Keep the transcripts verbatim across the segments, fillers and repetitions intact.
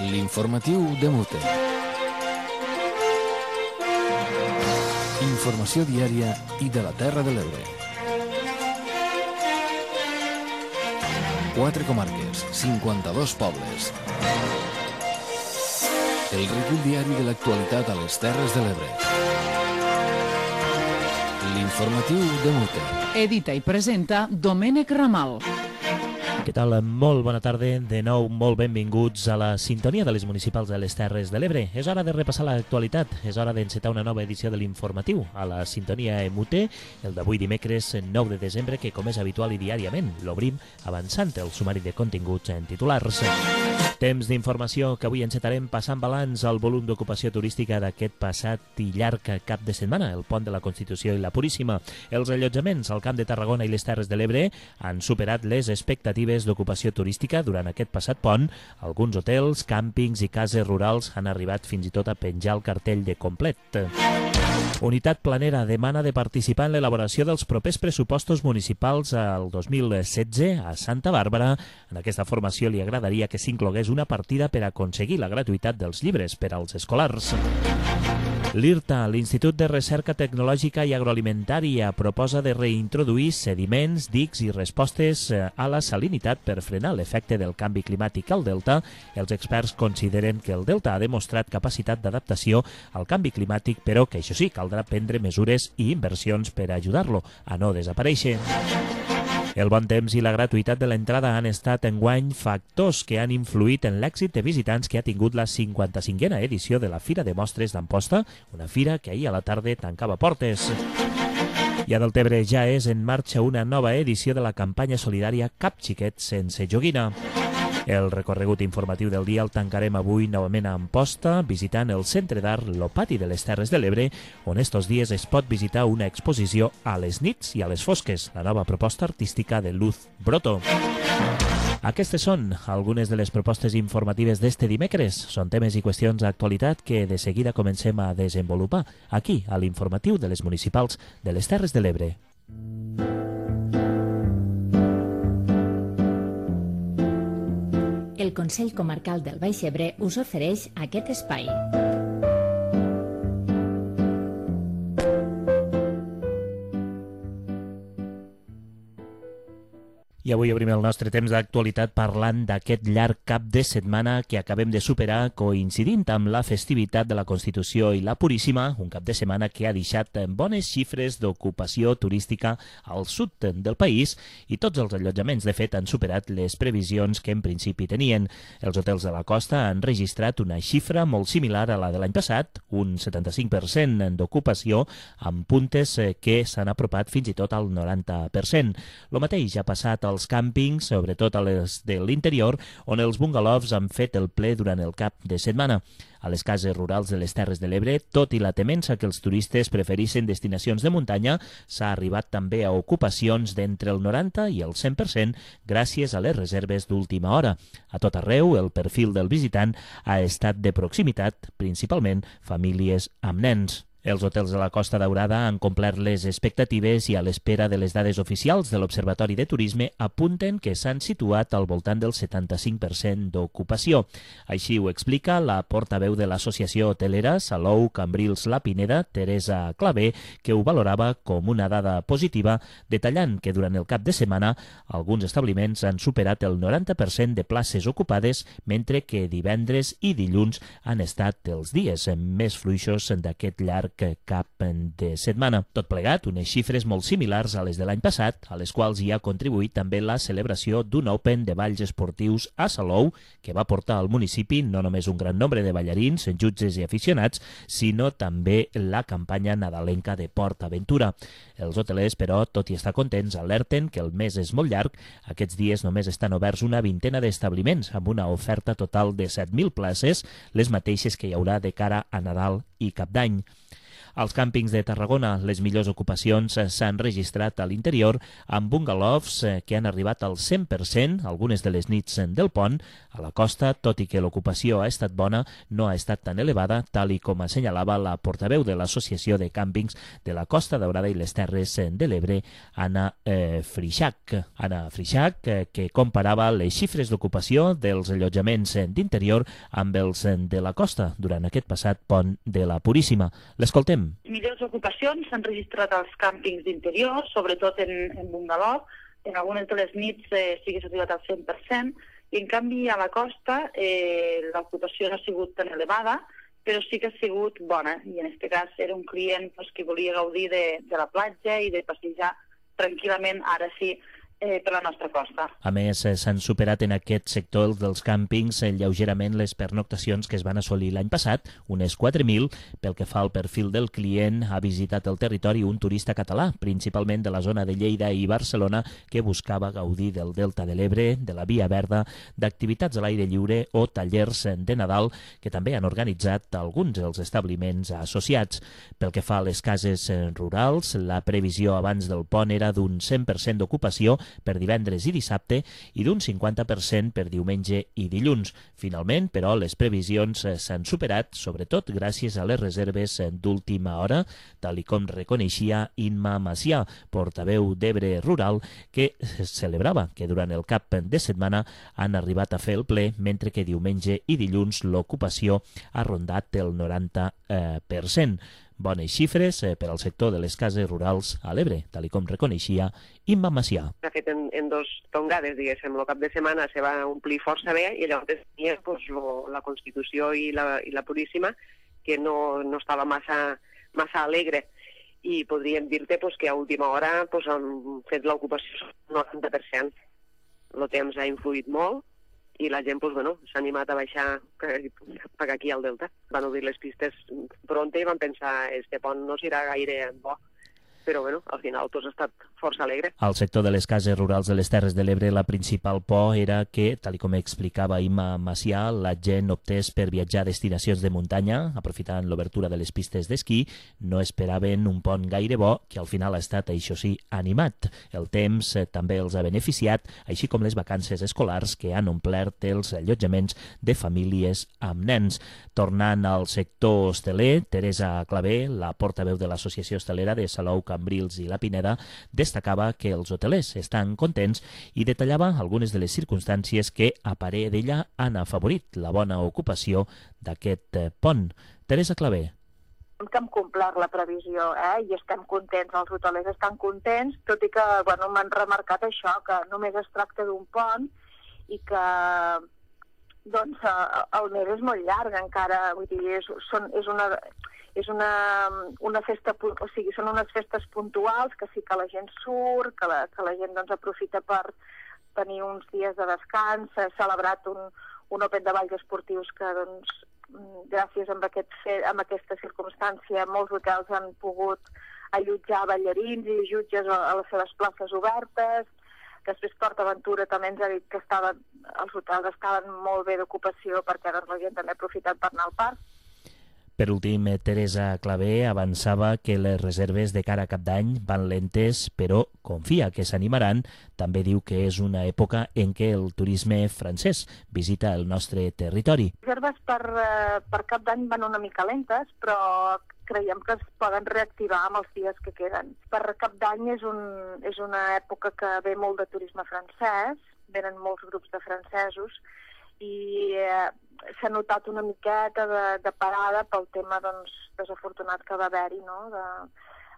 L'informatiu de Mute. Informació diària i de la Terra de l'Ebre. Quatre comarques, cinquanta-dos pobles. El recull diari de l'actualitat a les Terres de l'Ebre. L'informatiu de Mute. Edita i presenta Domènec Ramal. Què tal? Molt bona tarda. De nou, molt benvinguts a la sintonia de les municipals de les Terres de l'Ebre. És hora de repassar l'actualitat, és hora d'encetar una nova edició de l'informatiu a la sintonia M U T, el d'avui dimecres nou de desembre, que com és habitual i diàriament l'obrim avançant el sumari de continguts en titulars. Temps d'informació que avui encetarem passant balanç al volum d'ocupació turística d'aquest passat i llarg cap de setmana, el Pont de la Constitució i la Puríssima. Els allotjaments al Camp de Tarragona i les Terres de l'Ebre han superat les expectatives d'ocupació turística durant aquest passat pont. Alguns hotels, càmpings i cases rurals han arribat fins i tot a penjar el cartell de complet. Unitat Planera demana de participar en l'elaboració dels propers pressupostos municipals al dos mil setze a Santa Bàrbara. En aquesta formació li agradaria que s'inclogués una partida per aconseguir la gratuïtat dels llibres per als escolars. L'I R T A, l'Institut de Recerca Tecnològica i Agroalimentària, proposa de reintroduir sediments, dics i respostes a la salinitat per frenar l'efecte del canvi climàtic al delta. Els experts consideren que el delta ha demostrat capacitat d'adaptació al canvi climàtic, però que això sí, caldrà prendre mesures i inversions per ajudar-lo a no desaparèixer. El bon temps i la gratuïtat de l'entrada han estat enguany factors que han influït en l'èxit de visitants que ha tingut la cinquanta-cinquena edició de la Fira de Mostres d'Amposta, una fira que ahir a la tarda tancava portes. I a Deltebre ja és en marxa una nova edició de la campanya solidària Cap Xiquet sense joguina. El recorregut informatiu del dia el tancarem avui novament a Amposta, visitant el Centre d'Art Lo Pati de les Terres de l'Ebre, on estos dies es pot visitar una exposició a les nits i a les fosques, la nova proposta artística de Luz Broto. Aquestes són algunes de les propostes informatives d'este dimecres. Són temes i qüestions d'actualitat que de seguida comencem a desenvolupar aquí, a l'informatiu de les municipals de les Terres de l'Ebre. El Consell Comarcal del Baix Ebre us ofereix aquest espai. I avui obrim el nostre temps d'actualitat parlant d'aquest llarg cap de setmana que acabem de superar coincidint amb la festivitat de la Constitució i la Puríssima, un cap de setmana que ha deixat bones xifres d'ocupació turística al sud del país i tots els allotjaments de fet han superat les previsions que en principi tenien. Els hotels de la costa han registrat una xifra molt similar a la de l'any passat, un setanta-cinc per cent d'ocupació, amb puntes que s'han apropat fins i tot al noranta per cent. Lo mateix ha passat al als càmpings, sobretot a les de l'interior, on els bungalows han fet el ple durant el cap de setmana. A les cases rurals de les Terres de l'Ebre, tot i la temença que els turistes preferissin destinacions de muntanya, s'ha arribat també a ocupacions d'entre el noranta i el cent per cent gràcies a les reserves d'última hora. A tot arreu, el perfil del visitant ha estat de proximitat, principalment famílies amb nens. Els hotels de la Costa Daurada han complert les expectatives i a l'espera de les dades oficials de l'Observatori de Turisme apunten que s'han situat al voltant del setanta-cinc per cent d'ocupació. Així ho explica la portaveu de l'Associació Hotelera Salou Cambrils La Pineda, Teresa Clavé, que ho valorava com una dada positiva, detallant que durant el cap de setmana alguns establiments han superat el noranta per cent de places ocupades, mentre que divendres i dilluns han estat els dies més fluixos d'aquest llarg cap de setmana. Tot plegat, unes xifres molt similars a les de l'any passat, a les quals hi ha contribuït també la celebració d'un Open de balls esportius a Salou, que va portar al municipi no només un gran nombre de ballarins, jutges i aficionats, sinó també la campanya nadalenca de Port Aventura. Els hotelers, però, tot i estar contents, alerten que el mes és molt llarg. Aquests dies només estan oberts una vintena d'establiments, amb una oferta total de set mil places, les mateixes que hi haurà de cara a Nadal i Cap d'Any. Als càmpings de Tarragona, les millors ocupacions s'han registrat a l'interior amb bungalows que han arribat al cent per cent algunes de les nits del pont. A la costa, tot i que l'ocupació ha estat bona, no ha estat tan elevada, tal i com assenyalava la portaveu de l'Associació de Càmpings de la Costa Daurada i les Terres de l'Ebre, Anna eh, Frixac. Anna Frixac, eh, que comparava les xifres d'ocupació dels allotjaments d'interior amb els de la costa durant aquest passat pont de la Puríssima. L'escoltem. Millors ocupacions s'han registrat als càmpings d'interior, sobretot en, en bungalow. En algunes de les nits eh, sí que s'ha arribat al cent per cent, i en canvi a la costa eh, l'ocupació no ha sigut tan elevada, però sí que ha sigut bona, i en aquest cas era un client pues, que volia gaudir de, de la platja i de passejar tranquil·lament, ara sí, Eh, per la nostra costa. A més, eh, s'han superat en aquest sector dels càmpings eh, lleugerament les pernoctacions que es van assolir l'any passat, unes quatre mil. Pel que fa al perfil del client, ha visitat el territori un turista català, principalment de la zona de Lleida i Barcelona, que buscava gaudir del Delta de l'Ebre, de la Via Verda, d'activitats a l'aire lliure o tallers de Nadal, que també han organitzat alguns dels establiments associats. Pel que fa a les cases rurals, la previsió abans del pont era d'un cent per cent d'ocupació per divendres i dissabte i d'un cinquanta per cent per diumenge i dilluns. Finalment, però, les previsions s'han superat, sobretot gràcies a les reserves d'última hora, tal i com reconeixia Imma Macià, portaveu d'Ebre Rural, que celebrava que durant el cap de setmana han arribat a fer el ple, mentre que diumenge i dilluns l'ocupació ha rondat el noranta per cent. Bones xifres eh, per al sector de les cases rurals a l'Ebre, tal i com reconeixia Imma Macià. S'ha fet en, en dos tongades, diguéssim. El cap de setmana se va omplir força bé i llavors tenia pues, lo, la Constitució i la, i la Puríssima, que no, no estava massa, massa alegre. I podríem dir-te pues, que a última hora pues, han fet l'ocupació al noranta per cent. El temps ha influït molt i la gent pues, bueno, s'ha animat a baixar per aquí al Delta. Van obrir les pistes pronte i van pensar este pont no serà gaire bo. Però bueno, al final tot ha estat força alegre. Al sector de les cases rurals de les Terres de l'Ebre, la principal por era que, tal com explicava Imma Macià, la gent optés per viatjar a destinacions de muntanya, aprofitant l'obertura de les pistes d'esquí. No esperaven un pont gaire bo, que al final ha estat, això sí, animat. El temps eh, també els ha beneficiat, així com les vacances escolars que han omplert els allotjaments de famílies amb nens. Tornant al sector hosteler, Teresa Clavé, la portaveu de l'Associació Hostelera de Salou, Cambrils i la Pineda, destacava que els hotelers estan contents i detallava algunes de les circumstàncies que, a parer d'ella, han afavorit la bona ocupació d'aquest pont. Teresa Clavé. Que hem complert la previsió eh? I estem contents, els hotelers estan contents, tot i que bueno, m'han remarcat això, que només es tracta d'un pont i que doncs, el mes és molt llarg encara, vull dir, és, són, és una... És una, una festa, o sigui, són unes festes puntuals que sí que la gent surt, que la, que la gent doncs, aprofita per tenir uns dies de descans. S'ha celebrat un, un Open de balls esportius que, doncs, gràcies a, aquest, a aquesta circumstància, molts hotels han pogut allotjar ballarins i jutges a, a les seves places obertes. Després Port Aventura també ens ha dit que estava, els hotels estaven molt bé d'ocupació perquè doncs, la gent també ha aprofitat per anar al parc. Per últim, Teresa Clavé avançava que les reserves de cara a cap d'any van lentes, però confia que s'animaran. També diu que és una època en què el turisme francès visita el nostre territori. Les reserves per, per cap d'any van una mica lentes, però creiem que es poden reactivar amb els dies que queden. Per cap d'any és, un, és una època que ve molt de turisme francès, venen molts grups de francesos, i eh, s'ha notat una miqueta de, de parada pel tema doncs, desafortunat que va haver-hi no? de,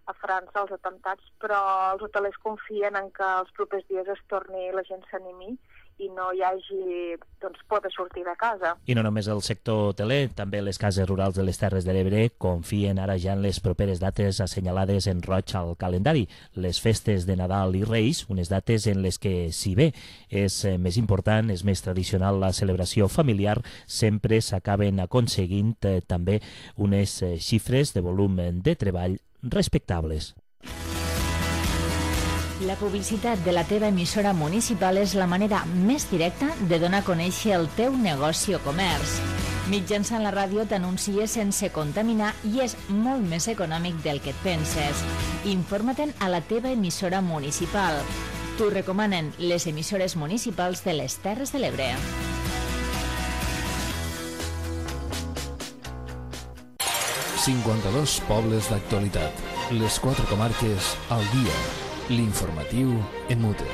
a França, els atemptats, però els hotelers confien en que els propers dies es torni, la gent s'animi i no hi hagi doncs, por de sortir de casa. I no només el sector hoteler, també les cases rurals de les Terres de l'Ebre confien ara ja en les properes dates assenyalades en roig al calendari. Les festes de Nadal i Reis, unes dates en les que, si bé és més important, és més tradicional la celebració familiar, sempre s'acaben aconseguint eh, també unes eh, xifres de volum de treball respectables. La publicitat de la teva emissora municipal és la manera més directa de donar a conèixer el teu negoci o comerç. Mitjançant la ràdio t'anuncies sense contaminar i és molt més econòmic del que et penses. Informa-te'n a la teva emissora municipal. T'ho recomanen les emissores municipals de les Terres de l'Ebre. cinquanta-dos pobles d'actualitat. Les quatre comarques al dia. L'informatiu en mute.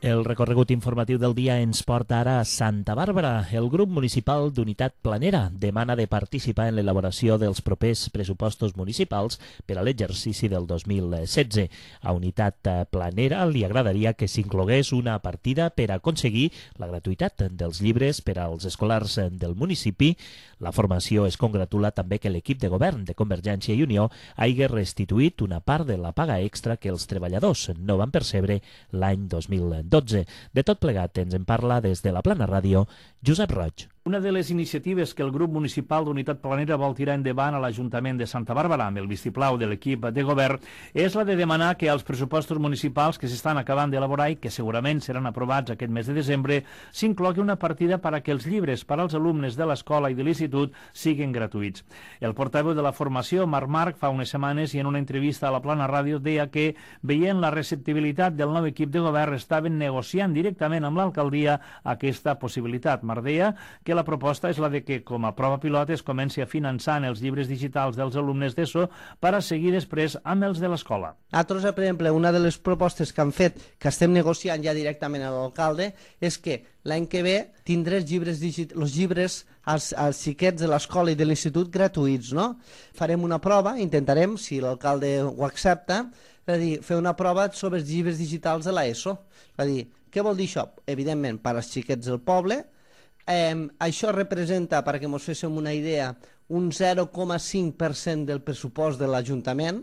El recorregut informatiu del dia ens porta ara a Santa Bàrbara. El grup municipal d'Unitat Planera demana de participar en l'elaboració dels propers pressupostos municipals per a l'exercici del dos mil setze. A Unitat Planera li agradaria que s'inclogués una partida per aconseguir la gratuïtat dels llibres per als escolars del municipi. La formació es congratula també que l'equip de govern de Convergència i Unió hagi restituït una part de la paga extra que els treballadors no van percebre l'any dos mil dotze. De tot plegat ens en parla des de la Plana Ràdio Josep Roig. Una de les iniciatives que el grup municipal d'Unitat Planera vol tirar endavant a l'Ajuntament de Santa Bàrbara amb el vistiplau de l'equip de govern és la de demanar que els pressupostos municipals que s'estan acabant d'elaborar i que segurament seran aprovats aquest mes de desembre s'inclogui una partida per a que els llibres per als alumnes de l'escola i de l'institut siguin gratuïts. El portaveu de la formació, Marc Marc, fa unes setmanes i en una entrevista a la Plana Ràdio deia que, veient la receptibilitat del nou equip de govern, estaven negociant directament amb l'alcaldia aquesta possibilitat. Marc deia que la proposta és la de que, com a prova pilot, es comenci a finançar els llibres digitals dels alumnes d'ESO per a seguir després amb els de l'escola. Nosaltres, per exemple, una de les propostes que han fet, que estem negociant ja directament amb l'alcalde, és que l'any que ve tindré els llibres, els llibres als, als xiquets de l'escola i de l'institut gratuïts, no? Farem una prova, intentarem, si l'alcalde ho accepta, és a dir, fer una prova sobre els llibres digitals de l'ESO. És a dir, què vol dir això? Evidentment, per als xiquets del poble. Eh, això representa, perquè ens féssim una idea, un zero coma cinc per cent del pressupost de l'Ajuntament.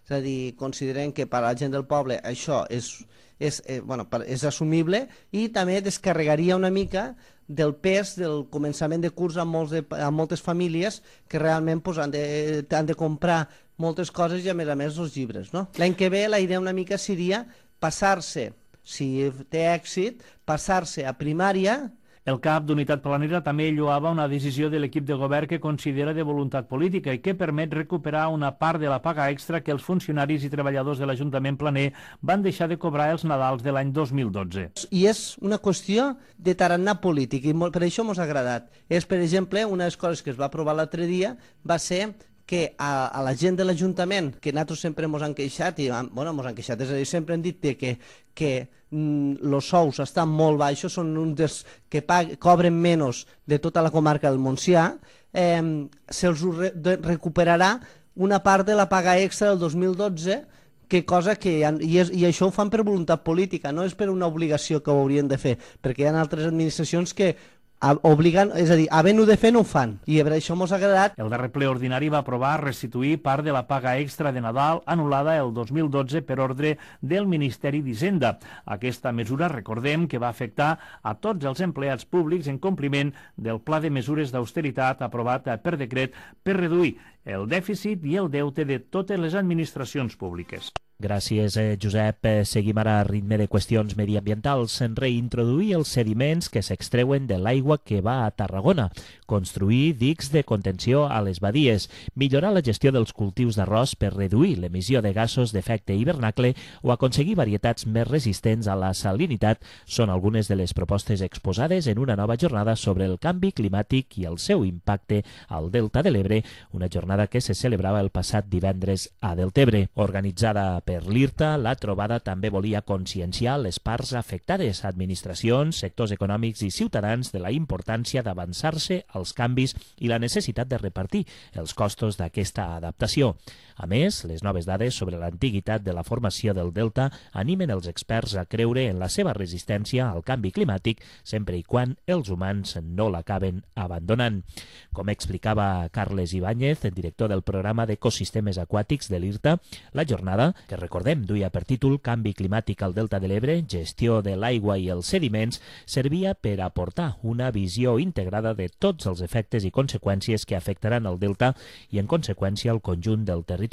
És a dir, considerem que per a la gent del poble això és, és, eh, bueno, és assumible i també descarregaria una mica del pes del començament de curs a, molts de, a moltes famílies que realment pues, han, de, han de comprar moltes coses i a més a més els llibres. No? L'any que ve la idea una mica seria passar-se, si té èxit, passar-se a primària. El cap d'Unitat Planera també lloava una decisió de l'equip de govern que considera de voluntat política i que permet recuperar una part de la paga extra que els funcionaris i treballadors de l'Ajuntament planer van deixar de cobrar els Nadals de l'any dos mil dotze. I és una qüestió de tarannà polític i per això ens ha agradat. És, per exemple, una de les coses que es va aprovar l'altre dia va ser que a, a la gent de l'Ajuntament, que nosaltres sempre ens han queixat, i bueno, ens han queixat, és a dir, sempre hem dit que, que mm, els sous estan molt baixos, són uns dels que pag, cobren menys de tota la comarca del Montsià, eh, se'ls re, recuperarà una part de la paga extra del dos mil dotze, que cosa que, i, és, i això ho fan per voluntat política, no és per una obligació que ho haurien de fer, perquè hi ha altres administracions que obligant, és a dir, havent-ho de fer no ho fan, i per això ens ha agradat. El darrer ple ordinari va aprovar restituir part de la paga extra de Nadal anul·lada el dos mil dotze per ordre del Ministeri d'Hisenda. Aquesta mesura, recordem, que va afectar a tots els empleats públics en compliment del pla de mesures d'austeritat aprovat per decret per reduir el dèficit i el deute de totes les administracions públiques. Gràcies, eh, Josep. Seguim ara a ritme de qüestions mediambientals. Reintroduir els sediments que s'extreuen de l'aigua que va a Tarragona, construir dics de contenció a les badies, millorar la gestió dels cultius d'arròs per reduir l'emissió de gasos d'efecte hivernacle o aconseguir varietats més resistents a la salinitat són algunes de les propostes exposades en una nova jornada sobre el canvi climàtic i el seu impacte al Delta de l'Ebre, una jornada que se celebrava el passat divendres a Deltebre. Organitzada per l'IRTA, la trobada també volia conscienciar les parts afectades, administracions, sectors econòmics i ciutadans de la importància d'avançar-se als canvis i la necessitat de repartir els costos d'aquesta adaptació. A més, les noves dades sobre l'antiguitat de la formació del Delta animen els experts a creure en la seva resistència al canvi climàtic sempre i quan els humans no l'acaben abandonant. Com explicava Carles Ibáñez, director del programa d'Ecosistemes Aquàtics de l'IRTA, la jornada, que recordem duia per títol Canvi climàtic al Delta de l'Ebre, gestió de l'aigua i els sediments, servia per aportar una visió integrada de tots els efectes i conseqüències que afectaran el Delta i, en conseqüència, el conjunt del territori.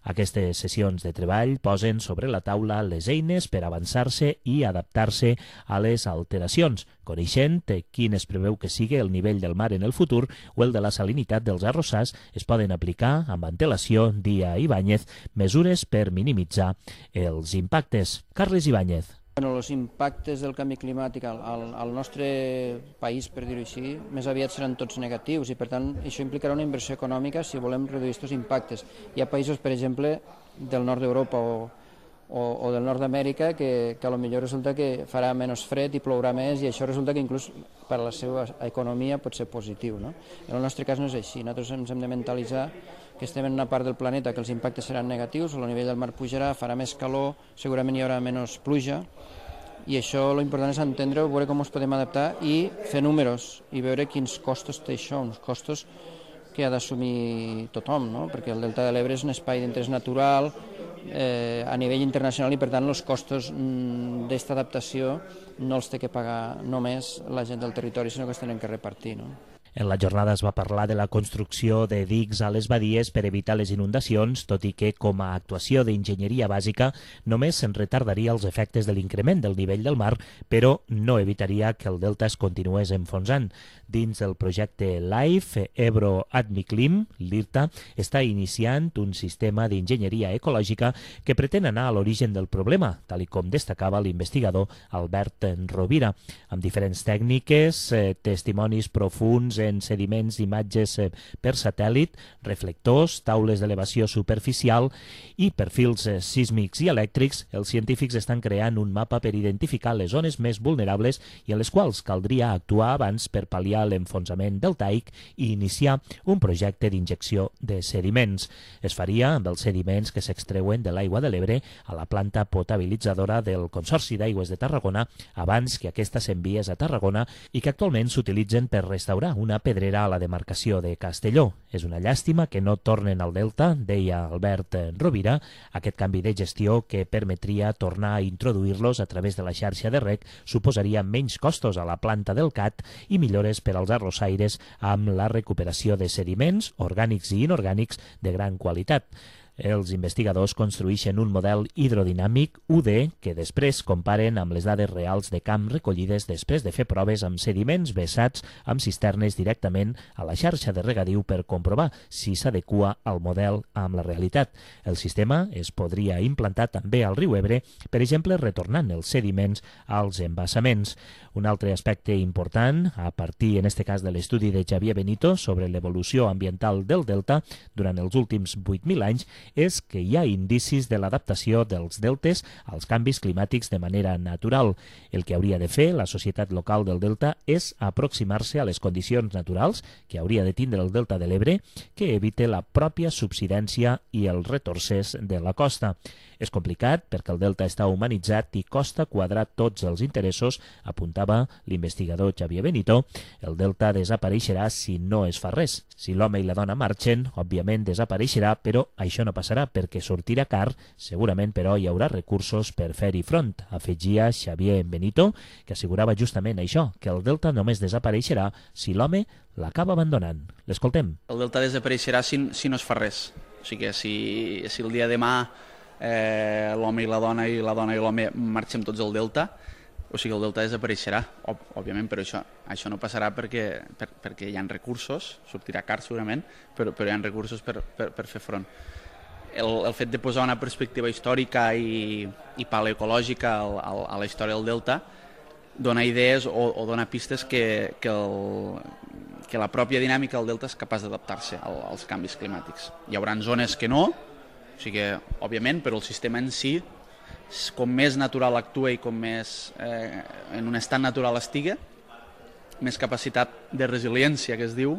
Aquestes sessions de treball posen sobre la taula les eines per avançar-se i adaptar-se a les alteracions, coneixent quin es preveu que sigui el nivell del mar en el futur o el de la salinitat dels arrossars, es poden aplicar amb antelació, dia Ibáñez, mesures per minimitzar els impactes. Carles Ibáñez. Bueno, els impactes del canvi climàtic al, al, al nostre país, per dir-ho així, més aviat seran tots negatius i, per tant, això implicarà una inversió econòmica si volem reduir aquests impactes. Hi ha països, per exemple, del nord d'Europa o, o, o del nord d'Amèrica que, que potser resulta que farà menys fred i plourà més i això resulta que inclús per a la seva economia pot ser positiu, no? En el nostre cas no és així. Nosaltres ens hem de mentalitzar que estem en una part del planeta que els impactes seran negatius, el nivell del mar pujarà, farà més calor, segurament hi haurà menys pluja, i això l'important és entendre-ho, veure com ens podem adaptar i fer números i veure quins costos té això, uns costos que ha d'assumir tothom, no? Perquè el Delta de l'Ebre és un espai d'interès natural eh, a nivell internacional i per tant els costos mm, d'esta adaptació no els té que pagar només la gent del territori, sinó que es tenen que repartir, no? En la jornada es va parlar de la construcció de dics a les badies per evitar les inundacions, tot i que, com a actuació d'enginyeria bàsica, només se'n retardaria els efectes de l'increment del nivell del mar, però no evitaria que el delta es continués enfonsant. Dins del projecte LIFE, Ebro Admiclim, l'IRTA, està iniciant un sistema d'enginyeria ecològica que pretén anar a l'origen del problema, tal com destacava l'investigador Albert Rovira, amb diferents tècniques, eh, testimonis profuns en sediments d'imatges per satèl·lit, reflectors, taules d'elevació superficial i perfils sísmics i elèctrics. Els científics estan creant un mapa per identificar les zones més vulnerables i a les quals caldria actuar abans per pal·liar l'enfonsament deltaic i iniciar un projecte d'injecció de sediments. Es faria amb els sediments que s'extreuen de l'aigua de l'Ebre a la planta potabilitzadora del Consorci d'Aigües de Tarragona abans que aquesta s'enviés a Tarragona i que actualment s'utilitzen per restaurar una pedrera a la demarcació de Castelló. És una llàstima que no tornen al delta, deia Albert Rovira. Aquest canvi de gestió que permetria tornar a introduir-los a través de la xarxa de rec suposaria menys costos a la planta del C A T i millores per als arrossaires amb la recuperació de sediments orgànics i inorgànics de gran qualitat. Els investigadors construïxen un model hidrodinàmic U D que després comparen amb les dades reals de camp recollides després de fer proves amb sediments vessats amb cisternes directament a la xarxa de regadiu per comprovar si s'adequa al model amb la realitat. El sistema es podria implantar també al riu Ebre, per exemple, retornant els sediments als embassaments. Un altre aspecte important, a partir en este cas de l'estudi de Xavier Benito sobre l'evolució ambiental del delta durant els últims vuit mil anys, és que hi ha indicis de l'adaptació dels deltes als canvis climàtics de manera natural. El que hauria de fer la societat local del delta és aproximar-se a les condicions naturals que hauria de tindre el delta de l'Ebre, que evite la pròpia subsidència i els retorces de la costa. És complicat perquè el delta està humanitzat i costa quadrar tots els interessos, apuntava l'investigador Xavier Benito. El delta desapareixerà si no es fa res. Si l'home i la dona marxen, òbviament desapareixerà, però això no passarà perquè sortirà car, segurament però hi haurà recursos per fer-hi front, afegia Xavier Benito, que assegurava justament això, que el delta només desapareixerà si l'home l'acaba abandonant. L'escoltem. El delta desapareixerà si, si no es fa res. O sigui que si, si el dia de demà eh, l'home i la dona i la dona i l'home marxem tots al delta, o sigui, el delta desapareixerà, Òb òbviament, però això, això no passarà perquè, per, perquè hi ha recursos, sortirà car segurament, però, però hi ha recursos per, per, per fer front. El, el fet de posar una perspectiva històrica i, i paleoecològica al, al, a la història del delta dona idees o, o dona pistes que, que, el, que la pròpia dinàmica del delta és capaç d'adaptar-se al, als canvis climàtics. Hi haurà zones que no, o sigui, òbviament, però el sistema en si, com més natural actua i com més eh, en un estat natural estigui, més capacitat de resiliència, que es diu,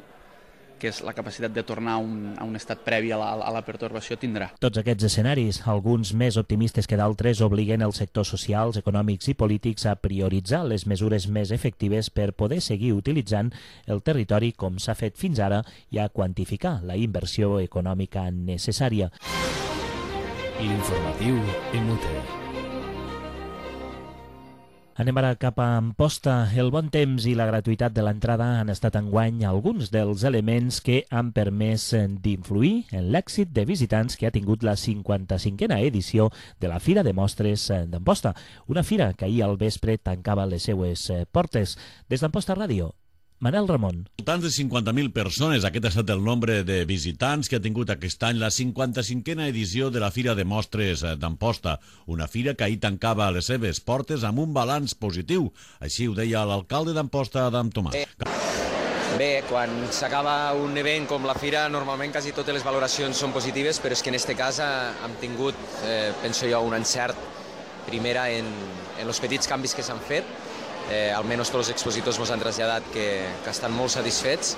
que és la capacitat de tornar a un, a un estat previ a la, a la pertorbació, tindrà. Tots aquests escenaris, alguns més optimistes que d'altres, obliguen els sectors socials, econòmics i polítics a prioritzar les mesures més efectives per poder seguir utilitzant el territori com s'ha fet fins ara i a quantificar la inversió econòmica necessària. L'informatiu en Mute. Anem ara cap a Amposta. El bon temps i la gratuïtat de l'entrada han estat enguany alguns dels elements que han permès d'influir en l'èxit de visitants que ha tingut la cinquanta-cinquena edició de la Fira de Mostres d'Amposta. Una fira que ahir al vespre tancava les seues portes. Des d'Amposta Ràdio, Manel Ramon. Voltants de cinquanta mil persones, aquest ha estat el nombre de visitants que ha tingut aquest any la cinquanta-cinquena edició de la Fira de Mostres d'Amposta, una fira que ahir tancava les seves portes amb un balanç positiu. Així ho deia l'alcalde d'Amposta, Adam Tomàs. Bé, quan s'acaba un event com la Fira, normalment quasi totes les valoracions són positives, però és que en aquest cas hem tingut, eh, penso jo, un encert primera en, en els petits canvis que s'han fet. Eh, almenys tots els expositors ens han traslladat que, que estan molt satisfets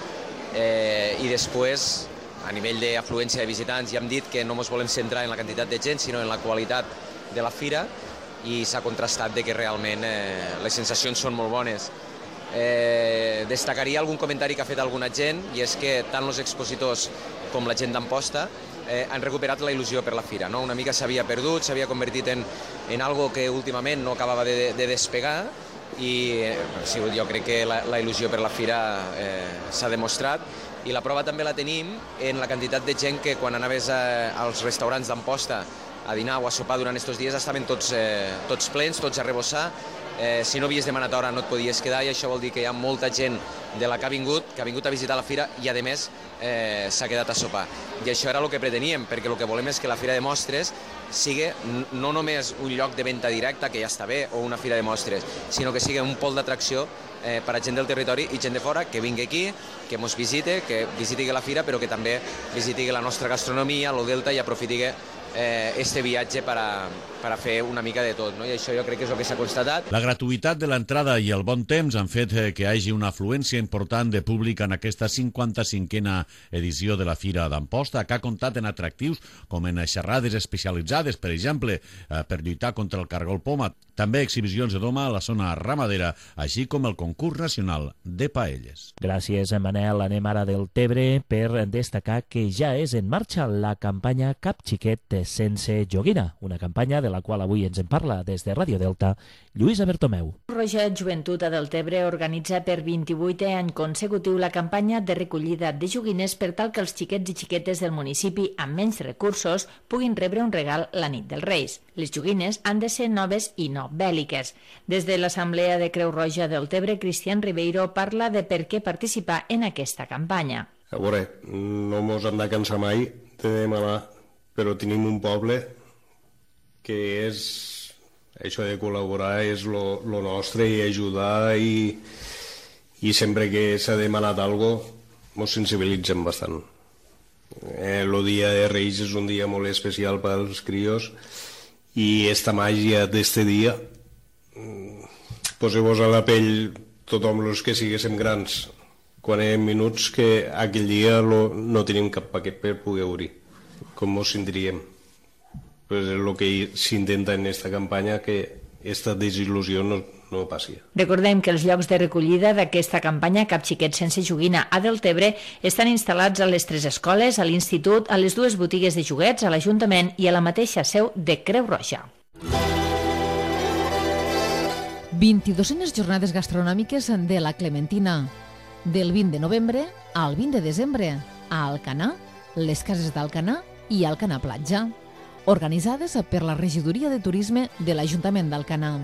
eh, i després, a nivell d'afluència de visitants, ja hem dit que no ens volem centrar en la quantitat de gent, sinó en la qualitat de la fira, i s'ha contrastat de que realment eh, les sensacions són molt bones. Eh, destacaria algun comentari que ha fet alguna gent, i és que tant els expositors com la gent d'Amposta eh, han recuperat la il·lusió per la fira, no? Una mica s'havia perdut, s'havia convertit en, en algo que últimament no acabava de, de despegar, i eh, sí, jo crec que la, la il·lusió per la fira eh, s'ha demostrat, i la prova també la tenim en la quantitat de gent que quan anaves a, als restaurants d'Amposta a dinar o a sopar durant aquests dies estaven tots, eh, tots plens, tots a rebossar. Eh, si no havies demanat hora no et podies quedar, i això vol dir que hi ha molta gent de la que ha vingut, que ha vingut a visitar la fira i a més eh, s'ha quedat a sopar. I això era el que preteníem, perquè el que volem és que la Fira de Mostres sigui no només un lloc de venda directa, que ja està bé, o una fira de mostres, sinó que sigui un pol d'atracció eh, per a gent del territori i gent de fora que vingui aquí, que ens visite, que visiti la fira, però que també visiti la nostra gastronomia, el Delta, i aprofiti eh, este viatge per a, per a fer una mica de tot, no? I això jo crec que és el que s'ha constatat. La gratuïtat de l'entrada i el bon temps han fet que hi hagi una afluència important de públic en aquesta cinquanta-cinquena edició de la Fira d'Amposta, que ha comptat en atractius com en xerrades especialitzades, per exemple, eh, per lluitar contra el cargol poma, també exhibicions de doma a la zona ramadera, així com el concurs nacional de paelles. Gràcies, Manel. Anem ara del Tebre per destacar que ja és en marxa la campanya Cap Xiquet sense joguina, una campanya de la qual avui ens en parla des de Ràdio Delta, Lluïsa Bertomeu. Roja Joventut a Deltebre organitza per vint-i-vuitè any consecutiu la campanya de recollida de joguines per tal que els xiquets i xiquetes del municipi amb menys recursos puguin rebre un regal la nit dels Reis. Les joguines han de ser noves i no bèl·liques. Des de l'Assemblea de Creu Roja del Tebre, Cristian Ribeiro parla de per què participar en aquesta campanya. A veure, no mos hem de cansar mai de demanar, però tenim un poble que és això de col·laborar, és lo, lo nostre, i ajudar, i, i sempre que s'ha demanat alguna cosa ens sensibilitzem bastant. Eh, el dia de Reis és un dia molt especial per als crios, i esta màgia d'este dia, poseu-vos a la pell tothom els que siguéssim grans quan érem minuts, que aquell dia lo, no tenim cap paquet per poder obrir. Com ens sentiríem? Pues és el que s'intenta en aquesta campanya, que aquesta desil·lusió no, no passi. Recordem que els llocs de recollida d'aquesta campanya Cap Xiquet sense joguina a Deltebre estan instal·lats a les tres escoles, a l'institut, a les dues botigues de joguets, a l'Ajuntament i a la mateixa seu de Creu Roja. vint-i-duenes jornades gastronòmiques de la Clementina. Del vint de novembre al vint de desembre, a Alcanar, les cases d'Alcanar i Alcanar Platja, organitzades per la Regidoria de Turisme de l'Ajuntament d'Alcanar.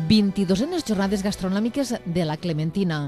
vint-i-duenes jornades gastronòmiques de la Clementina.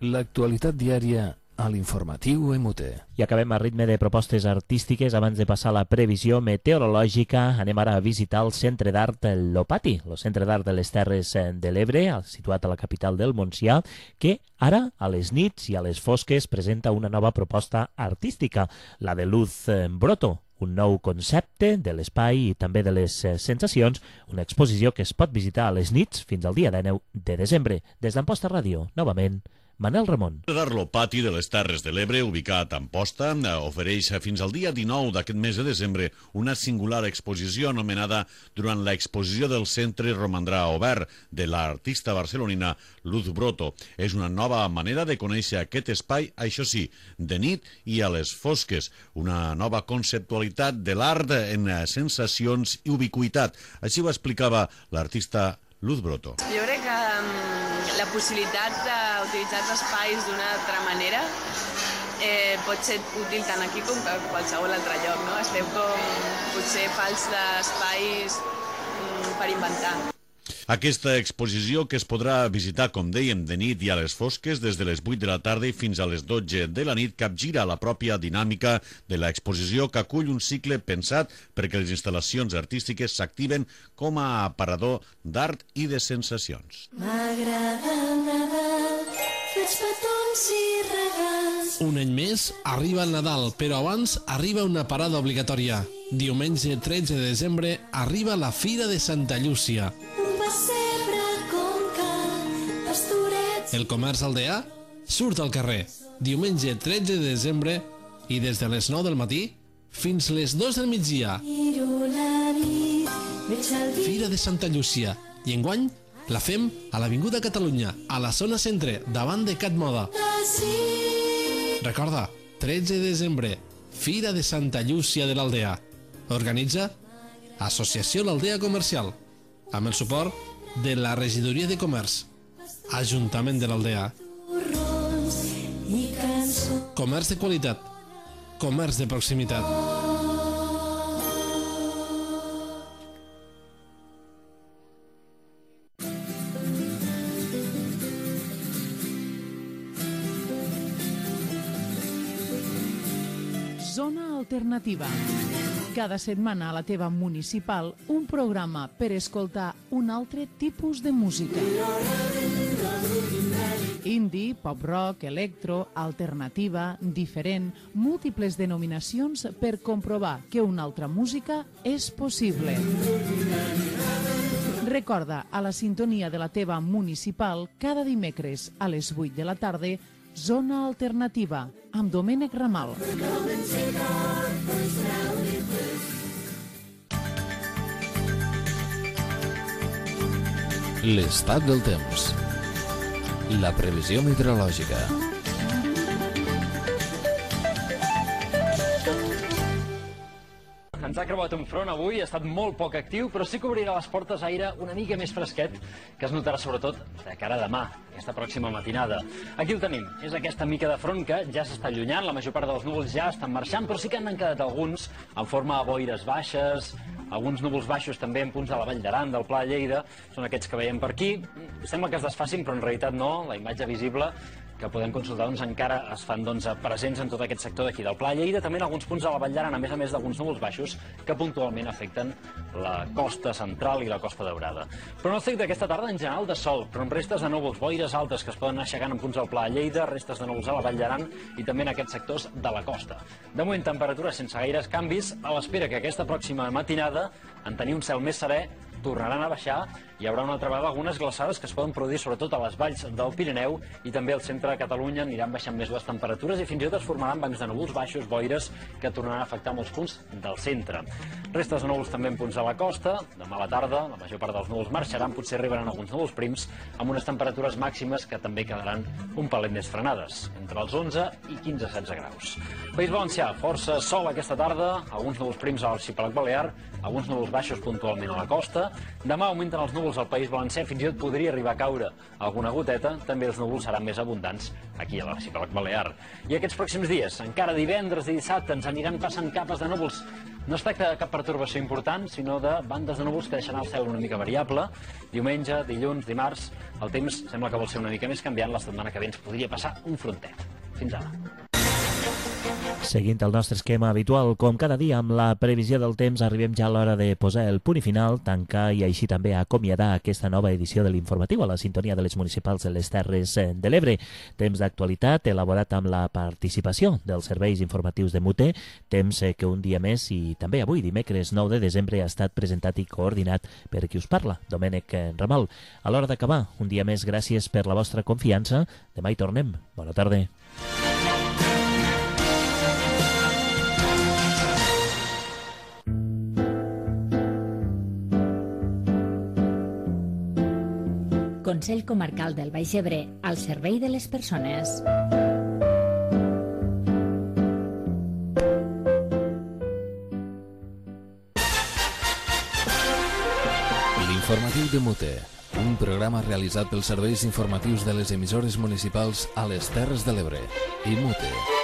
L'actualitat diària a l'informatiu M T. I acabem a ritme de propostes artístiques. Abans de passar a la previsió meteorològica, anem ara a visitar el Centre d'Art Lopati, el Centre d'Art de les Terres de l'Ebre, situat a la capital del Montsià, que ara, a les nits i a les fosques, presenta una nova proposta artística, la de Luz Broto, un nou concepte de l'espai i també de les sensacions, una exposició que es pot visitar a les nits fins al dia dinou de desembre. Des d'Amposta Ràdio, novament, Manel Ramon. L'Arlo Pati de les Terres de l'Ebre, ubicat a Amposta, ofereix fins al dia dinou d'aquest mes de desembre una singular exposició anomenada Durant l'exposició del centre romandrà obert, de l'artista barcelonina Luz Broto. És una nova manera de conèixer aquest espai, això sí, de nit i a les fosques. Una nova conceptualitat de l'art en sensacions i ubiquitat. Així ho explicava l'artista Luz Broto. Jo crec que um, la possibilitat d'utilitzar els espais d'una altra manera eh, pot ser útil tant aquí com a qualsevol altre lloc, no? Estem com potser falts d'espais um, per inventar. Aquesta exposició, que es podrà visitar, com dèiem, de nit i a les fosques, des de les vuit de la tarda i fins a les dotze de la nit, capgira la pròpia dinàmica de l'exposició, que acull un cicle pensat perquè les instal·lacions artístiques s'activen com a aparador d'art i de sensacions. M'agrada el Nadal, fets petons i regals. Un any més arriba el Nadal, però abans arriba una parada obligatòria. Diumenge tretze de desembre arriba la Fira de Santa Llúcia. El comerç aldeà surt al carrer diumenge tretze de desembre i des de les nou del matí fins les dos del migdia. Fira de Santa Llúcia. I enguany la fem a l'Avinguda Catalunya, a la zona centre, davant de Cat Moda. Recorda, tretze de desembre, Fira de Santa Llúcia de l'Aldea. Organitza Associació l'Aldea Comercial, amb el suport de la Regidoria de Comerç, Ajuntament de l'Aldea. Comerç de qualitat, comerç de proximitat. Zona Alternativa. Cada setmana a la teva municipal, un programa per escoltar un altre tipus de música. Indie, pop-rock, electro, alternativa, diferent, múltiples denominacions per comprovar que una altra música és possible. Recorda, a la sintonia de la teva municipal, cada dimecres a les vuit de la tarda, Zona Alternativa, amb Domènec Ramal. L'estat del temps. La previsió meteorològica. Ens ha creuat un front avui, ha estat molt poc actiu, però sí que obrirà les portes aire una mica més fresquet, que es notarà sobretot de cara a demà, aquesta pròxima matinada. Aquí el tenim, és aquesta mica de front que ja s'està allunyant, la major part dels núvols ja estan marxant, però sí que n'han quedat alguns en forma de boires baixes, alguns núvols baixos també en punts de la Vall d'Aran, del Pla de Lleida, són aquests que veiem per aquí. Sembla que es desfacin, però en realitat no, la imatge visible que podem consultar doncs, encara es fan doncs, presents en tot aquest sector d'aquí del Pla de Lleida, també en alguns punts de la Vall d'Aran, a més a més d'alguns núvols baixos que puntualment afecten la costa central i la costa daurada. Pronòstic d'aquesta tarda en general de sol, però amb restes de núvols, boires altes que es poden anar aixecant en punts del Pla de Lleida, restes de núvols a la Vall d'Aran i també en aquests sectors de la costa. De moment, temperatures sense gaires canvis, a l'espera que aquesta pròxima matinada, en tenir un cel més serè, tornaran a baixar, hi haurà una altra vegada algunes glaçades que es poden produir sobretot a les valls del Pirineu i també al centre de Catalunya aniran baixant més les temperatures i fins i tot es formaran bancs de núvols baixos, boires, que tornaran a afectar molts punts del centre. Restes de núvols també en punts de la costa, demà a la tarda la major part dels núvols marxaran, potser arribaran alguns núvols prims amb unes temperatures màximes que també quedaran un palet més frenades, entre els onze i quinze a setze graus. País Valencià, força sol aquesta tarda, alguns núvols prims a l'arxipèlag balear, alguns núvols baixos puntualment a la costa. Demà augmenten els núvols al País Valencià, fins i tot podria arribar a caure alguna goteta, també els núvols seran més abundants aquí a l'arxipèlag balear. I aquests pròxims dies, encara divendres i dissabte, ens aniran passant capes de núvols. No es tracta de cap pertorbació important, sinó de bandes de núvols que deixaran el cel una mica variable. Diumenge, dilluns, dimarts, el temps sembla que vol ser una mica més canviant, la setmana que ve ens podria passar un frontet. Fins ara. Seguint el nostre esquema habitual, com cada dia amb la previsió del temps, arribem ja a l'hora de posar el punt i final, tancar i així també acomiadar aquesta nova edició de l'informatiu a la sintonia de les municipals de les Terres de l'Ebre. Temps d'actualitat elaborat amb la participació dels serveis informatius de Mute, temps que un dia més i també avui, dimecres nou de desembre, ha estat presentat i coordinat per qui us parla, Domènec Ramal. A l'hora d'acabar, un dia més, gràcies per la vostra confiança. Demà hi tornem. Bona tarda. Consell Comarcal del Baix Ebre, al servei de les persones. L'informatiu de Mute, un programa realitzat pels serveis informatius de les emissores municipals a les Terres de l'Ebre i Mute.